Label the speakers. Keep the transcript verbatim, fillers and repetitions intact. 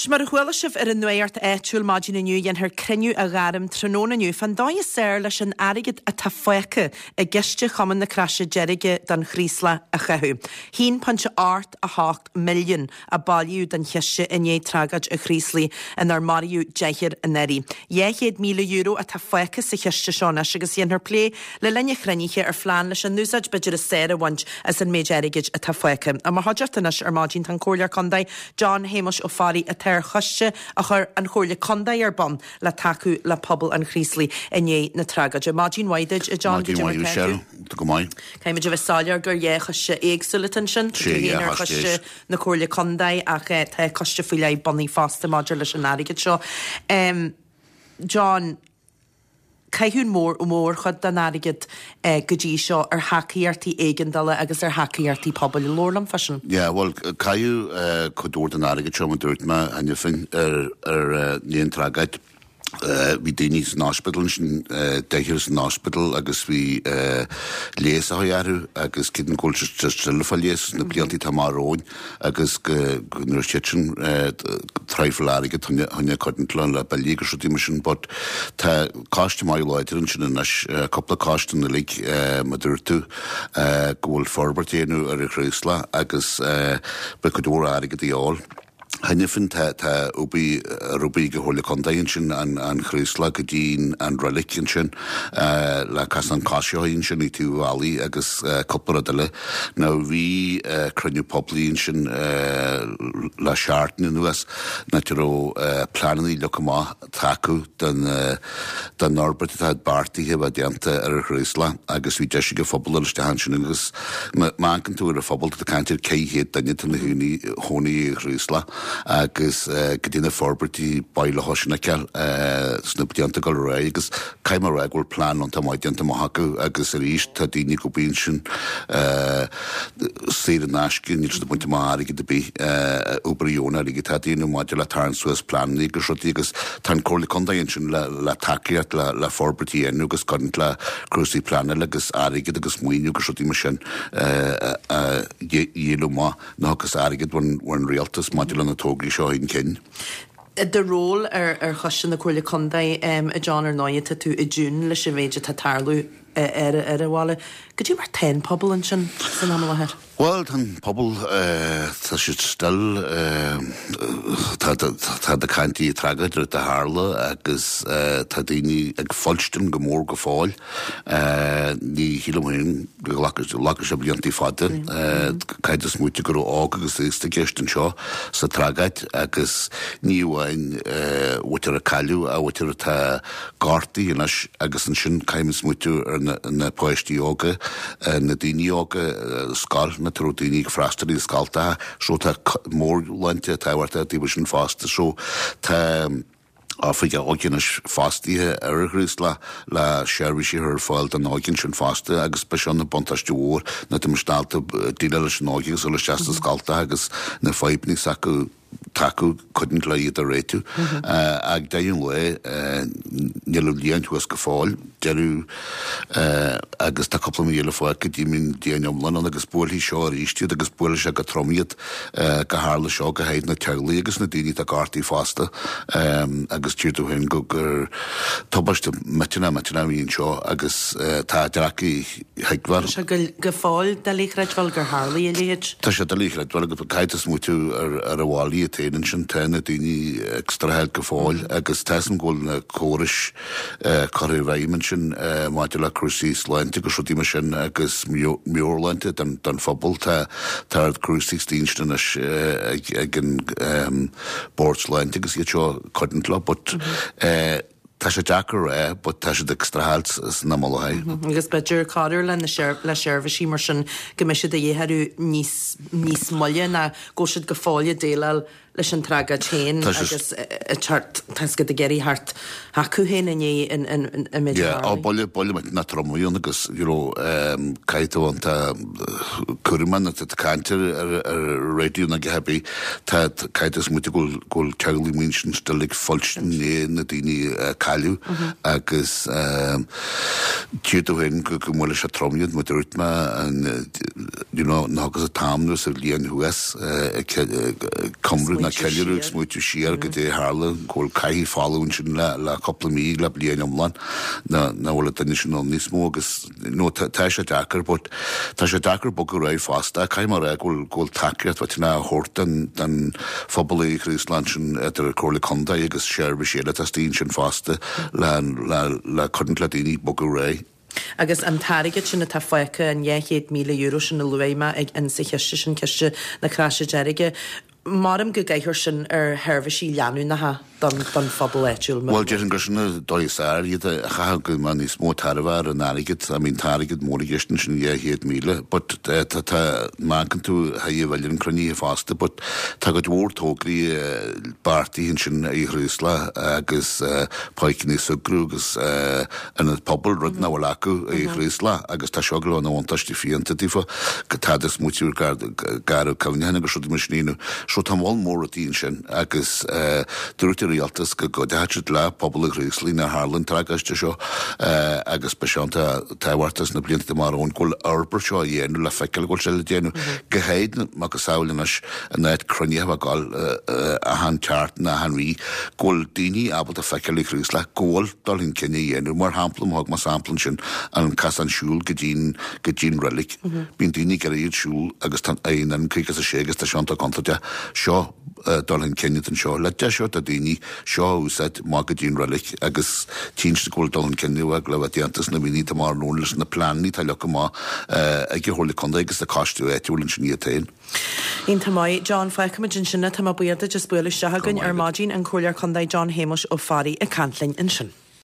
Speaker 1: Mar a chuala sibh ar an nuacht áitiúil maidin inniu dhéanfar cruinniú a ghairm tráthnóna inniu fan dóigh is fearr leis an airgead atá fágtha i gciste Chumann na Croise Deirge don Chraoslach a chaitheamh. Haon pointe ocht a hocht milliún a bailíodh don chiste i ndiaidh tragóid an Chraoslaigh inar maraíodh deichniúr anuraidh. Dhá chéad míle euro atá fágtha sa chiste seo anois agus dhéanfar plé le linn an chruinnithe ar phlean leis an úsáid b'fhéidir is fearr a bhaint as an méid airgid atá fágtha. I mo chuideachta anois ar maidin tá an Comhairleoir Contae John Shéamuis Ó Fearraigh atá ar choiste a chuir an Chomhairle Contae ar bun le tacú le pobal an Chraoslaigh i ndiaidh na tragóide. Maidin mhaith duit a John
Speaker 2: Maidin mhaith Michelle, go maith.
Speaker 1: Caithfimid a bheith soiléir gur dhá choiste éagsúla ansin
Speaker 2: Sé
Speaker 1: ar choiste na Comhairle Contae ach tá coiste faoi leith bunaithe fosta maidir leis an airgead seo. Um, John, caitheadh mór mórchuid den airgead eh, go dtí seo ar thacaíochtaí éigeandála agus ar thacaíochtaí pobail labhair liom faoi sin.
Speaker 2: Yeah, well caitheadh uh, cuid mhór den airgead seo mar dúirt mé cheana féin ar ar uh, an tragóid. Uh, bhí daoine san ospidéal sin uh, deichniúr san ospidéal agus bhí uh, leigheas á orthu agus cinn go bhfuil fá leigheas na blianta atá romhainn agus go nuair siad sin traifil airgead thine cotton le billí agus rudaí mar sin, but tá coiste maith láidir ansin anois cúpla coiste uilig mar dúirt tú go bhfuil forbairt á dhéanamh ar an Chraoslach agus be cuid mhór airgead a fháil. Cheana féin tá tá obair obair go Chomhairle Contae ansin an an Chraoslach go dtí an reilig ansin uh, le cas an caiseá ansin i tú bhailí agus uh, cúpla rud eile. Now bhí uh, cruinniú poiblí ansin uh, le seachtain anuas na raibh uh, pleananna leagtha amach acu den uh, den fhorbairt atá beartaithe bheith déanta ar an Chraoslach agus bhí deis ag an phobal isteach ansin agus má amharcann tú ar an phobal tá caint ar ceithre chéad duine ina gcónaí ar an Chraoslach agus uh, go dtí na forbairtí baile sin uh, sna blianta go ré agus caithfidh mé rá go bhfuil plean an maith déanta amach acu agus arís tá daoine go bíonn sin uh, saor in aisce níl siad ag baint amach airgead ar bith uh, obair dheonach aige tá daoine maidir le tarraingt suas pleananna agus rudaí agus tá an Comhairle Contae ansin le, le tacaíocht le, le forbairtí enu agus cuidiú le cúrsaí pleanála agus airgead agus maoiniú agus rudaí mar sin uh, uh, dhéanamh maith ná agus airgead ón rialtas maidir le na tograí seo an cinn.
Speaker 1: De ról ar ar choiste na Comhairle Contae um, a John ar ndóigh tá tú i dtune leis an méid atá ag tarlú ar ar an bhaile. Go dtí mar tá an pobal ansin san am láthair.
Speaker 2: Well tá pobal tá siad still tá tá caint ar an tragóid a tharla agus tá daoine ag fuilstin go mór go fóill ní shílim go sé blianta fada caithfidh tú smaoineamh go raibh óg agus aosta i gceist anseo sa tragóid agus ní amháin muintir a cailleadh a mhuintir atá gortaithe anois agus ansin caithfidh smaoineamh ar na páistí óga na daoine óga scoil na raibh daoine ag freastal i scoltacha so tá mórláinte tábhachtach daoibh sin fosta so tá oifigeach óige anois fostaithe ar an Chraoslach le seirbhísí ar fáil don óige sin fosta agus be seo na buntáiste mhór na tá ábalta déileáil leis an óige agus isteach sna scoltacha agus na fadhbanna s'acu tacú cuidiú le iad a réitiú ag deireadh an lae níl an líon thuas go fóill deireadh agus tá cúpla mí eile fágtha go dtí an líon iomlán agus buailfidh seo arís iad agus buailfidh sé go trom iad go tharla seo go háirithe na teaghlaigh agus na daoine atá gortaithe fosta agus tír tú féin go gur tubaiste millteanach millteanach a bhí anseo agus tá deacair a thuigbheáil.
Speaker 1: Tá sé go fóill doiligh a chreidbheáil gur tharla a leithéid.
Speaker 2: Tá sé doiligh a chreidbheáil agus caithfidh tú smaoineamh ar ar an bhaile iad féin ansin tá na daoine ag streachailt go fóill agus tá go bhfuil na córais curtha i bhfeidhm ansin maidir le cúrsaí sláinte agus rudaí mar sin agus meabhairshláinte don don phobal tá tá cúrsaí stín anois ag ag an bord sláinte agus iad seo cuidiú leo but tá sé deacair é, but tá siad ag streachailt san am i láthair.
Speaker 1: Agus b'fhéidir cabhrú le le seirbhísí mar sin go mbeidh siad a dhéarú níos níos moille ná go siad go fóill ag déileáil leis an tragóid féin agus tá siad ag iarraidh thart acu féin inné in in méid
Speaker 2: á buille buille na tromaíon agus you know caithfidh tú an tá cuman na caint ar ar radio na gehabí tá caithfidh tú smaoineamh go bhfuil teaghlaigh muin sin still ag fuilstin na daoine cailleadh agus tír tú féin go go mbuailfidh sé trom iad mar dúirt mé an you know ná agus an t-am nó sa bhliain thuas cumrú ná ceiliúradh ag smaoitiú siar goidé a tharla, go bhfuil cathaoir folamh ansin le le cúpla mí, le bliain iomlán, ná nach bhfuil an duine sin ann níos mó agus no tá tá sé deacair but tá sé deacair bogadh ar aghaidh fosta. Caithfidh mé a rá go bhfuil go bhfuil tacaíocht mhaith á thabhairt don don phobal i Chraoslach ansin idir Comhairle Contae agus seirbhísí eile atá istigh ansin fosta le le le coinneáil le daoine bogadh ar aghaidh.
Speaker 1: Agus an t-airgead sin atá fágtha, an dhá chéad míle euro sin a luaigh mé ag insa chiste sin, Ciste na Croise Deirge, maram go gcaithfear sin ar sheirbhísí leanúnacha don don phobal áitiúil.
Speaker 2: Bhuel, déarfainn gur sin an dóigh is fearr iad a chaitheamh go mbeadh níos mó tairbhe ar an airgead. I mean, tá airgead mór i gceist ansin, dhá chéad míle, but tá tá má amharcann tú chuig bhfuil an cruinnithe fosta, but tá cuid mhór tograí beartaithe ansin i Chraoslach agus páirceanna súgartha agus ionad pobail, rud nach bhfuil acu i Chraoslach agus tá seo go leor ina bhuntáiste fiúntach daofa, go tá do smaoitiú ar garraí cuimhneacháin agus rudaí mar sin a dhéanamh. So tá moll mór rudaí ansin agus dúirt an rialtas go gcuideoidh siad le pobal an Chraoslaigh nuair a tharla an tragóid seo agus beidh sé iontach tábhachtach sna blianta amach romhainn go bhfuil an fhorbairt seo á dhéanamh le feiceáil go bhfuil sé le déanamh go háirithe macasamhail anois an áit cruinnithe a bheith ag dul achan tseachtain achan mhí go bhfuil daoine ábalta feiceáil i Chraoslach go bhfuil dul chun cinn á dhéanamh. Mar shampla, má thug mé sampla ansin an casán siúil go dtí'n go dtí'n reilig. Bíonn daoine ag iarraidh iad siúl agus tá an N caoga is a sé agus tá sé iontach contúirteach. Seo dul chun cinn atá anseo. Le deis do daoine seo a úsáid amach go dtí an reilig agus tchíonn siad go bhfuil dul chun cinn le bheith déanta sna míonna atá amach romhainn leis na pleananna atá leagtha amach ag an Chomhairle Contae agus an coiste áitiúil ansin iad féin.
Speaker 1: Iontach maith, John, fágfaimid ansin é. Tá mé buíoch duit as bualadh isteach againn ar maidin, an Comhairleoir Contae John Shéamuis Ó Fearraigh ag caint linn ansin.